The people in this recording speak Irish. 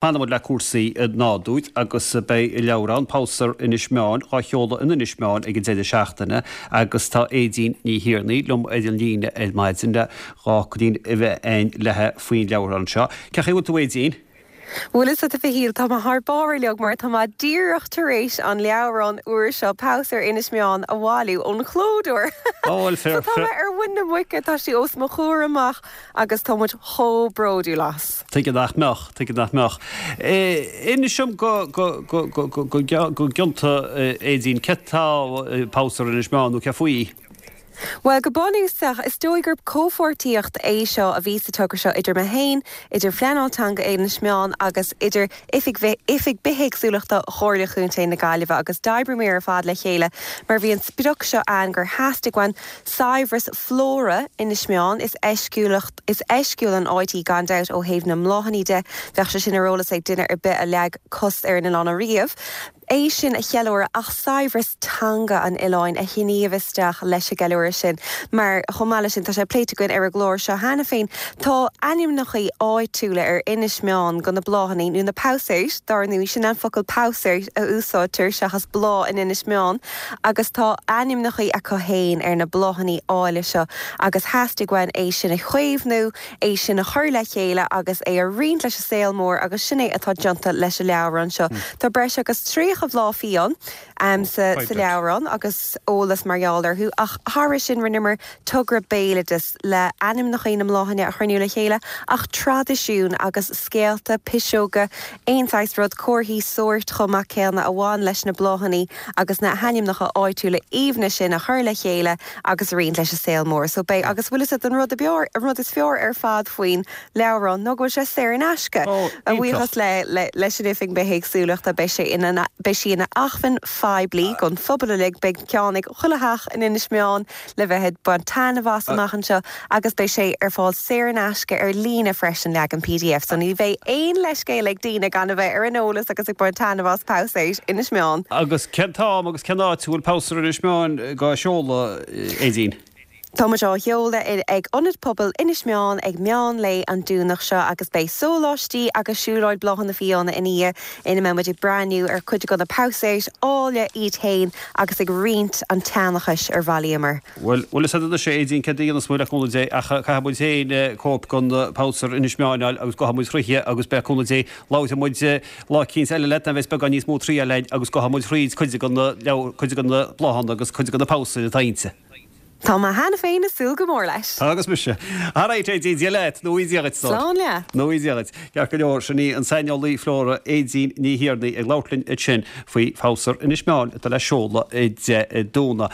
Fanfaidh muid le cúrsaí nádúir agus beidh leabhrán, Pabhsaer Inis Meáin, dhá sheoladh in Inis Meáin ag an deireadh seachtaine agus tá Aedín Ní Thiarnaigh liom ar an líne ar maidin le dhá fhocailín a bheith a'inn léithe faoin leabhrán seo. Cén chaoi a bhfuil tú Aedín? Bhuel a fhios agat a Mhichíl, tá mé thar barr uilig mar tá mé díreach tar éis an leabhrán úr seo, Pabhsaer Inis Meáin, a bhailiú ón chlódóir. Ó bhuel So tá mé ar mhuin na muice, tá sé os mo chomhair amach agus tá muid chomh bródúil as. Tuige nach mbeadh, tuige nach mbeadh. Inis dom go, go, go, go, go, go, go gionnta, Aedín, céard tá Pabhsaer Inis Meáin nó cé faoi? Bhuel, go bunúsach, is dóigh gur comhpháirtíocht é seo a bhí sa togra seo idir mé féin, idir Phleanáil Teanga Inis Meáin agus idir Oifig Oifig Bithéagsúlachta Chomhairle Chontae na Gaillimhe agus d'oibríomar ar fad le chéile mar bhí an sprioc seo ann gur theastaigh uainn saibhreas flóra Inis Meáin. Is eisciúlacht, is eisciúil an áit í gan dabht ó thaobh na mbláthanna de, bheadh sé sin ar eolas ag duine ar bith a leag cos ar an oileán ariamh. É sin a cheiliúradh ach saibhreas teanga an oileáin a shníomh isteach leis an gceiliúradh sin mar chomh maith leis sin, tá sé pléite againn ar an gclár seo cheana féin, tá ainmneacha áitiúla ar Inis Meáin go na bláthanna nó na pabhsaeir, dár ndóigh, sin an focal pabhsaer a úsáidtear seachas bláth in Inis Meáin. Agus tá ainmneacha acu féin ar na bláthanna áille seo agus theastaigh uainn é sin a chaomhnú, é sin a chur le chéile agus é a roinnt leis an saol mór agus sin é atá déanta leis an leabhrán seo. Tá breis agus 30 bhláth fiáin sa leabhrán agus eolas mar gheall orthu ach thairis sin rinneamar togra béaloideas le ainmneacha na mbláthanna a chruinniú le chéile ach traidisiún agus scéalta, piseoga, aon saghas rud, comharthaí sóirt chomh maith céanna a bhain leis na bláthanna agus na hainmneacha áitiúla aoibhne sin a chur le chéile agus a roinnt leis an saol mór. So beidh, agus bhfuil fhios agat an rud ab fhearr, an rud is fearr ar fad faoin leabhrán ná go bhfuil sé saor in aisce. Ó, A bhuíochas le, le, leis an Oifig Bithéagsúlachta beidh sé ina, beidh sí ina acmhainn phoiblí don phobal uilig, beidh ceann ag chuile theach in Inis Meáin le bheith ag baint taitneamh as amach anseo agus beidh sé ar fáil saor in aisce ar líne freisin, leagan pdf, so ní bheidh aon leithscéal ag daoine gan a bheith ar an eolas agus ag baint taitneamh as Pabhsaer Inis Meáin. Agus cén t-am agus cén áit a bhfuil Pabhsaer Inis Meáin dhá sheoladh, Aedín? Tá muid á sheoladh ag Ionad Pobail Inis Meáin ag meán lae an Domhnach seo agus beidh sóláistí agus siúlóid bláthanna fiáine ina dhiaidh ina mbeidh muid ag breathnú ar chuid de na pabhsaeir áille iad féin agus ag roinnt an tseanchais ar bhailíomar. Bhuel, bhfuil fhios agat anois a Aedín céard a dhéanfas muid le cúnamh Dé ach caithfidh muid féin cóip den Phabhsaer Inis Meáin a fháil agus gabhfaidh muid thríthi agus beidh cúnamh Dé labharfaidh muid lá eicínt eile leat nuair a bheas beagán níos mó triail againn agus gabhfaidh muid thríd cuid de na leabhair, cuid de na bláthanna agus cuid de na pabhsaeir atá inti. Tá mé cheana féin ag súil go mór leis. Tá agus mise. Alright Aedín, Dia leat, nó Dia dhuit, Slán leat. Nó Dia dhuit. Ceart go leor, sin í an saineolaí flóra Aedín Ní Thiarnaigh ag labhairt linn ansin faoi Phabhsaer Inis Meáin atá le seoladh Dé Domhnaigh.